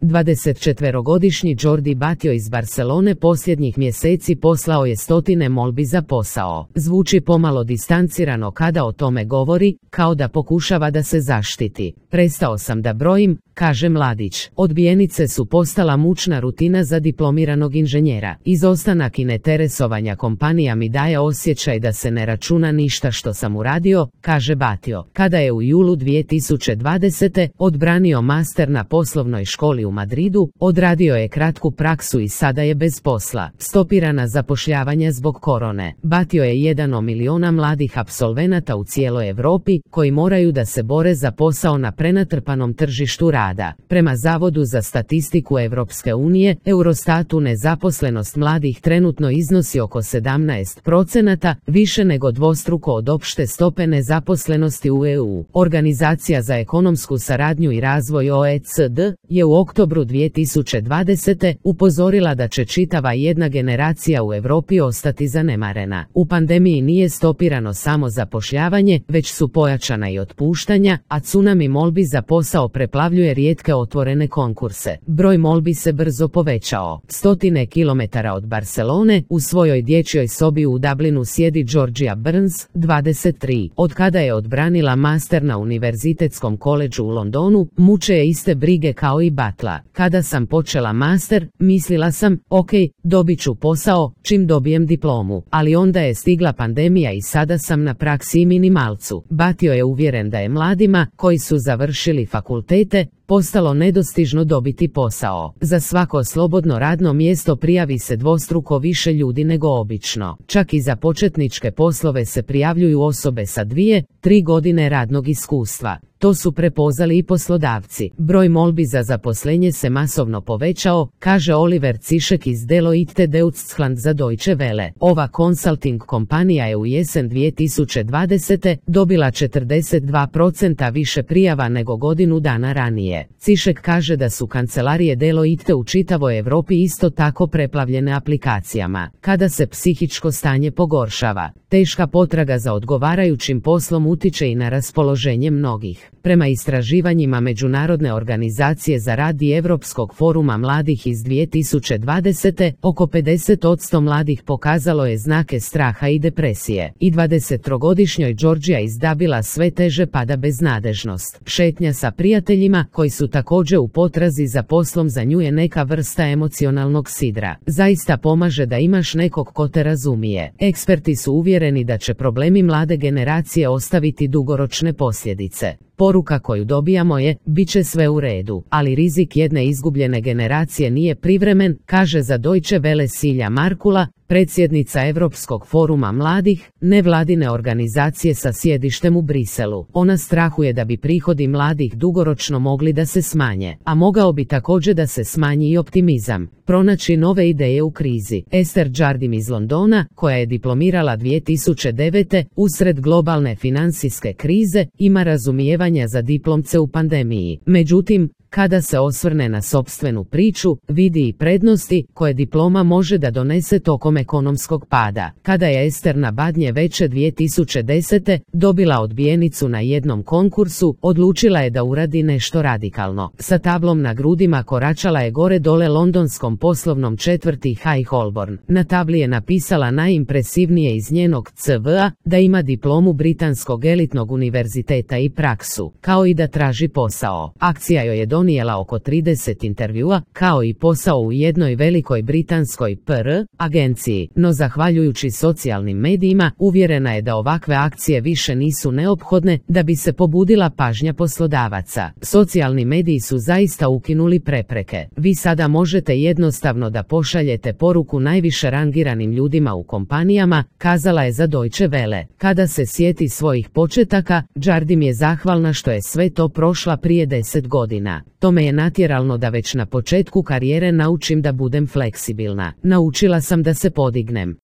24-godišnji Jordi Batlló iz Barcelone posljednjih mjeseci poslao je stotine molbi za posao. Zvuči pomalo distancirano kada o tome govori, kao da pokušava da se zaštiti. Prestao sam da brojim, kaže mladić. Odbijenice su postala mučna rutina za diplomiranog inženjera. Izostanak i neteresovanja kompanija mi daje osjećaj da se ne računa ništa što sam uradio, kaže Batlló. Kada je u julu 2020. odbranio master na poslovnoj školi u Madridu, odradio je kratku praksu i sada je bez posla. Stopirana zapošljavanja zbog korone. Batlló je jedan od miliona mladih apsolvenata u cijeloj Europi koji moraju da se bore za posao na prenatrpanom tržištu rada. Prema Zavodu za statistiku Europske unije, Eurostatu, nezaposlenost mladih trenutno iznosi oko 17%, više nego dvostruko od opšte stope nezaposlenosti u EU. Organizacija za ekonomsku saradnju i razvoj OECD je u oktobru 2020. upozorila da će čitava jedna generacija u Europi ostati zanemarena. U pandemiji nije stopirano samo zapošljavanje, već su pojačana i otpuštanja, a tsunami molbi za posao preplavljuje rijetke otvorene konkurse. Broj molbi se brzo povećao. Stotine kilometara od Barcelone, u svojoj dječjoj sobi u Dublinu sjedi Georgia Burns, 23. Od kada je odbranila master na Univerzitetskom koledžu u Londonu, muče je iste brige kao i Batlla. Kada sam počela master, mislila sam, ok, dobit ću posao, čim dobijem diplomu. Ali onda je stigla pandemija i sada sam na praksi i minimalcu. Batlló je uvjeren da je mladima, koji su završili fakultete, postalo nedostižno dobiti posao. Za svako slobodno radno mjesto prijavi se dvostruko više ljudi nego obično. Čak i za početničke poslove se prijavljuju osobe sa 2-3 godine radnog iskustva. To su prepoznali i poslodavci. Broj molbi za zaposlenje se masovno povećao, kaže Oliver Cišek iz Deloitte Deutschland za Deutsche Welle. Ova consulting kompanija je u jesen 2020. dobila 42% više prijava nego godinu dana ranije. Cišek kaže da su kancelarije Deloitte u čitavoj Europi isto tako preplavljene aplikacijama. Kada se psihičko stanje pogoršava, teška potraga za odgovarajućim poslom utiče i na raspoloženje mnogih. Prema istraživanjima Međunarodne organizacije za rad i Europskog foruma mladih iz 2020. oko 50% mladih pokazalo je znake straha i depresije. I 23-godišnjoj Georgia iz Dublina sve teže pada beznadežnost. Šetnja sa prijateljima, koji su također u potrazi za poslom, za nju je neka vrsta emocionalnog sidra. Zaista pomaže da imaš nekog ko te razumije. Eksperti su uvjereni da će problemi mlade generacije ostaviti dugoročne posljedice. Poruka koju dobijamo je, bit će sve u redu, ali rizik jedne izgubljene generacije nije privremen, kaže za Deutsche Welle Silja Markula, predsjednica Europskog foruma mladih, nevladine organizacije sa sjedištem u Briselu. Ona strahuje da bi prihodi mladih dugoročno mogli da se smanje, a mogao bi također da se smanji i optimizam. Pronaći nove ideje u krizi. Esther Jardim iz Londona, koja je diplomirala 2009. usred globalne financijske krize, ima razumijevanja za diplomce u pandemiji. Međutim, kada se osvrne na sopstvenu priču, vidi i prednosti koje diploma može da donese tokom ekonomskog pada. Kada je Ester na Badnje veče 2010. dobila odbijenicu na jednom konkursu, odlučila je da uradi nešto radikalno. Sa tablom na grudima koračala je gore dole londonskom poslovnom četvrti High Holborn. Na tabli je napisala najimpresivnije iz njenog CV-a, da ima diplomu britanskog elitnog univerziteta i praksu, kao i da traži posao. Akcija joj je donijela oko 30 intervjua, kao i posao u jednoj velikoj britanskoj PR agenciji, no zahvaljujući socijalnim medijima, uvjerena je da ovakve akcije više nisu neophodne da bi se pobudila pažnja poslodavaca. Socijalni mediji su zaista ukinuli prepreke. Vi sada možete jednostavno da pošaljete poruku najviše rangiranim ljudima u kompanijama, kazala je za Deutsche Welle. Kada se sjeti svojih početaka, Jardim je zahvalna što je sve to prošla prije 10 godina. To me je natjeralo da već na početku karijere naučim da budem fleksibilna. Naučila sam da se podignem.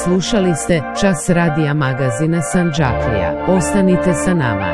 Slušali ste Čas radija magazina Sandžaklija. Ostanite sa nama.